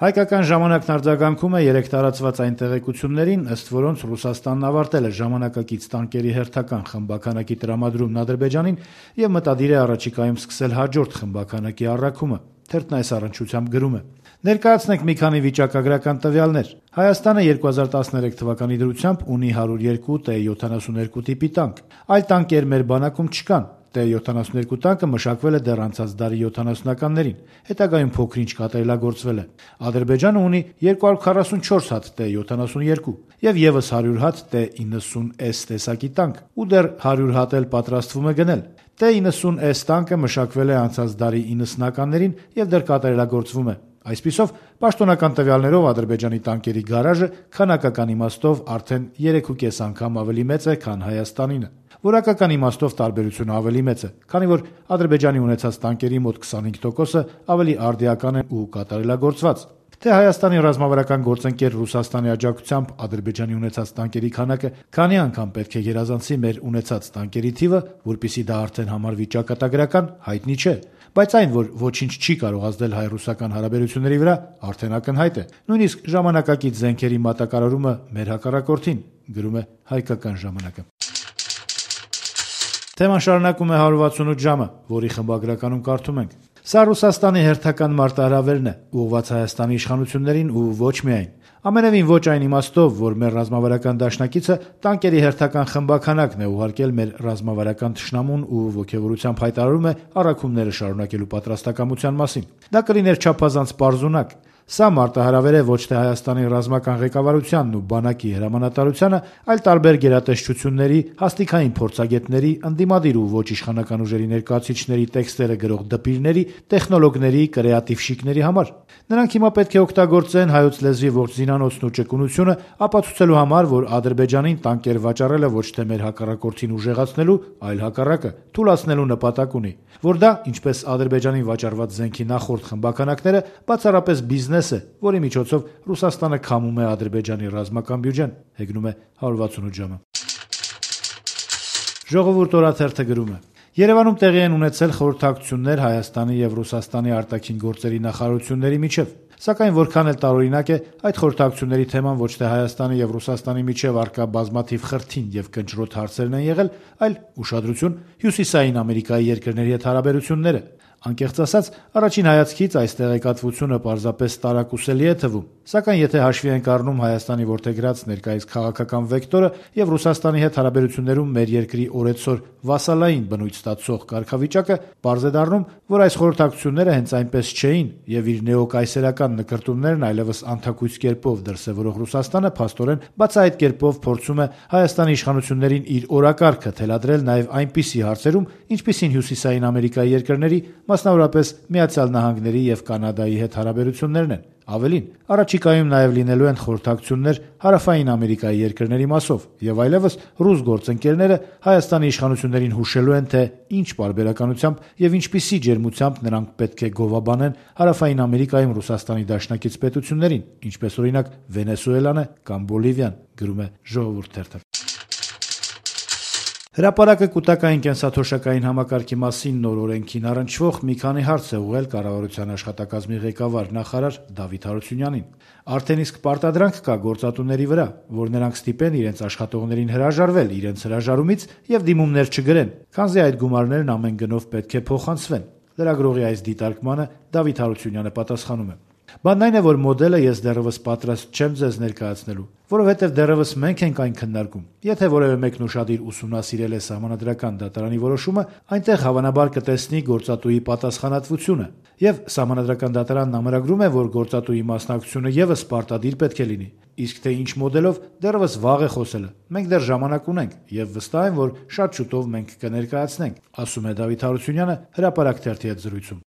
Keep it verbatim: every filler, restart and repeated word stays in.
Հայկական ժամանակն արձագանքում է երեք տարածված այն տեղեկություններին, ըստ որոնց Ռուսաստանն ավարտել է ժամանակակից տանկերի հերթական խմբաքանակի տրամադրումն Ադրբեջանին եւ մտադիր է առաջիկայում սկսել հաջորդ խմբաքանակի առաքումը։ Թերթն այս առնչությամբ գրում է. Ներկայացնենք մի քանի վիճակագրական տվյալներ։ Հայաստանը երկու հազար տասներեք թվականի դրությամբ ունի հարյուր երկու Տ յոթանասունհինգ տիպի տանկ։ Այլ տանկեր մեր բանակում չկան։ Տ յոթանասունհինգ տանկը մշակվել է դեռ անցած դարի յոթանասունականներին, հետագայում փոքր-ինչ կատարելագործվել է։ Ադրբեջանը ունի երկու հարյուր քառասունչորս հատ Տ յոթանասունհինգ եւ եւս հարյուր հատ Տ նինսուն Էս տեսակի տանկ, ու դեռ հարյուր հատ էլ պատրաստվում է գնել։ Տ նինսուն Էս տանկը մշակվել է անցած դարի իննսունականներին եւ դեռ կատարելագործվում է։ Այսպիսով, պաշտոնական տվյալներով Ադրբեջանի տանկերի գարաժը քանակական իմաստով արդեն երեք ու կես անգամ ավելի մեծ է, քան Հայաստանինը։ Որակական իմաստով տարբերությունը ավելի մեծ է, քանի որ Ադրբեջանի ունեցած տանկերի մոտ քսանհինգ տոկոսը ավելի արդիական են ու կատարելագործված։ Թե Հայաստանի ռազմավարական գործընկեր Ռուսաստանի աջակցությամբ Ադրբեջանի ունեցած տանկերի քանակը քանի անգամ պետք է գերազանցի մեր ունեցած տանկերի թիվը, որpիսի դա արդեն համարվի ճակատագրական, հայտնի չէ, բայց այն, որ ոչինչ չի կարող ազդել հայ-ռուսական հարաբերությունների վրա, արդեն ակնհայտ է։ Նույնիսկ ժամանակակից զենքերի մատակարարումը մեր հակառակորդին, գրում է Հայկական ժամանակը։ Թեման շարունակում է հարյուր վաթսունութ ժամը, որի խմբագրականում կարդում ենք. Սա Ռուսաստանի հերթական մարտահրավերն է, ուղղված Հայաստանի իշխանություններին ու ոչ միայն։ Ամենևին ոչ այն իմաստով, որ մեր ռազմավարական դաշնակիցը տանկերի հերթական խմբաքանակն է ուղարկել մեր ռազմավարական թշնամուն ու ոգևորությամբ հայտարարում է առաքումները շարունակելու պատրաստակամության մասին։ Դա կլիներ չափազանց պարզունակ։ Սա մարտահրավեր է ոչ թե Հայաստանի ռազմական ղեկավարությանն ու բանակի հրամանատարությանը, այլ տարբեր գերատեսչությունների, հաստիքային փորձագետների, ընդդիմադիր ու ոչ իշխանական ուժերի ներկայացուցիչների տեքստերը գրող դպիրների, տեխնոլոգների, կրեատիվ շիկների համար։ Նրանք հիմա պետք է օգտագործեն հայոց լեզվի ողջ զինանոցն ու ճկունությունը ապացուցելու համար, որ Ադրբեջանին տանկեր վաճառելը ոչ թե մեր հակառակորդին ուժեղացնելու, այլ հակառակը թուլացնելու նպատակ ունի, որ դա, ինչպես Ադրբեջանին վաճառված զենքի նախորդ խմբականակները, բացառապես բիզնես է, որի միջոցով Ռուսաստանը քամում է Ադրբեջանի ռազմական բյուջեն, հեգնում է հարյուր վաթսունութ ժամը։ Ժողովուրդ օրաթերթը գրում է. Երևանում տեղի են ունեցել խորհրդակցություններ Հայաստանի եւ Ռուսաստանի արտաքին գործերի նախարարությունների միջև, սակայն որքան էլ տարօրինակ է, այդ խորհրդակցությունների թեման ոչ թե Հայաստանի եւ Ռուսաստանի միջև առկա բազմաթիվ խրթին եւ կնճռոտ հարցերն են եղել, այլ ուշադրություն Հյուսիսային Ամերիկայի երկրների հետ հարաբերությունները։ Անկեղծ ասած, առաջին հայացքից այս տեղեկատվությունը պարզապես տարակուսելի է թվում, սակայն եթե հաշվի ենք առնում Հայաստանի որդեգրած ներկայիս քաղաքական վեկտորը եւ Ռուսաստանի հետ հարաբերություններում մեր երկրի օրեցօր վասալային բնույթ ստացող կարգավիճակը, պարզ է դառնում, որ այս խորհրդակցությունները հենց այնպես չէին եւ իր նեոկայսերական նկրտումներն այլևս անթակույց կերպով դրսեւորող Ռուսաստանը փաստորեն բացահայտ կերպով փորձում է Հայաստանի իշխանություններին իր օրակարգը թելադրել նաեւ այնպիսի հարցերում, ինչպիսին Հյուսիսային Ամերիկայի երկրների, մասնավորապես Միացյալ Նահանգների եւ Կանադայի հետ հարաբերություններն են։ Ավելին, առաջիկայում նաև լինելու են խորհրդակցություններ Հարավային Ամերիկայի երկրների մասով, եւ այլևս ռուս գործընկերները Հայաստանի իշխանություններին հուշելու են, թե ինչ պարբերականությամբ եւ ինչպիսի ջերմությամբ նրանք պետք է գովաբանեն Հարավային Ամերիկայում Ռուսաստանի դաշնակից պետություններին, ինչպես օրինակ Վենեսուելան է կամ Բոլիվիան, գրում է Ժողովուրդ թերթը։ Հրապարակը կուտակային կենսաթոշակային համակարգի մասին նոր օրենքին առնչվող մի քանի հարց է ուղղել կառավարության աշխատակազմի ղեկավար նախարար Դավիթ Հարությունյանին։ Արդեն իսկ պարտադրանք կա գործատուների վրա, որ նրանք ստիպեն իրենց աշխատողներին հրաժարվել իրենց հրաժարումից եւ դիմումներ չգրեն, քանզի այդ գումարներն ամեն գնով պետք է փոխանցվեն։ Լրագրողի այս դիտարկմանը Դավիթ Հարությունյանը պատասխանում է. Բանն այն է, որ մոդելը ես դեռևս պատրաստ չեմ ձեզ ներկայացնելու, որովհետև դեռևս մենք ենք այն քննարկում։ Եթե որևէ մեկն ուշադիր ուսումնասիրել է Սահմանադրական դատարանի որոշումը, այնտեղ հավանաբար կտեսնի գործատուի պատասխանատվությունը, եւ Սահմանադրական դատարանն ամրագրում է, որ գործատուի մասնակցությունը եւս պարտադիր պետք է լինի։ Իսկ թե ինչ մոդելով, դեռևս վաղ է խոսելը։ Մենք դեռ ժամանակ ունենք եւ վստահ եմ, որ շատ շուտով մենք կներկայացնենք, ասում է Դավիթ Հարությունյանը Հրապարակ թերթի հետ զրույցում։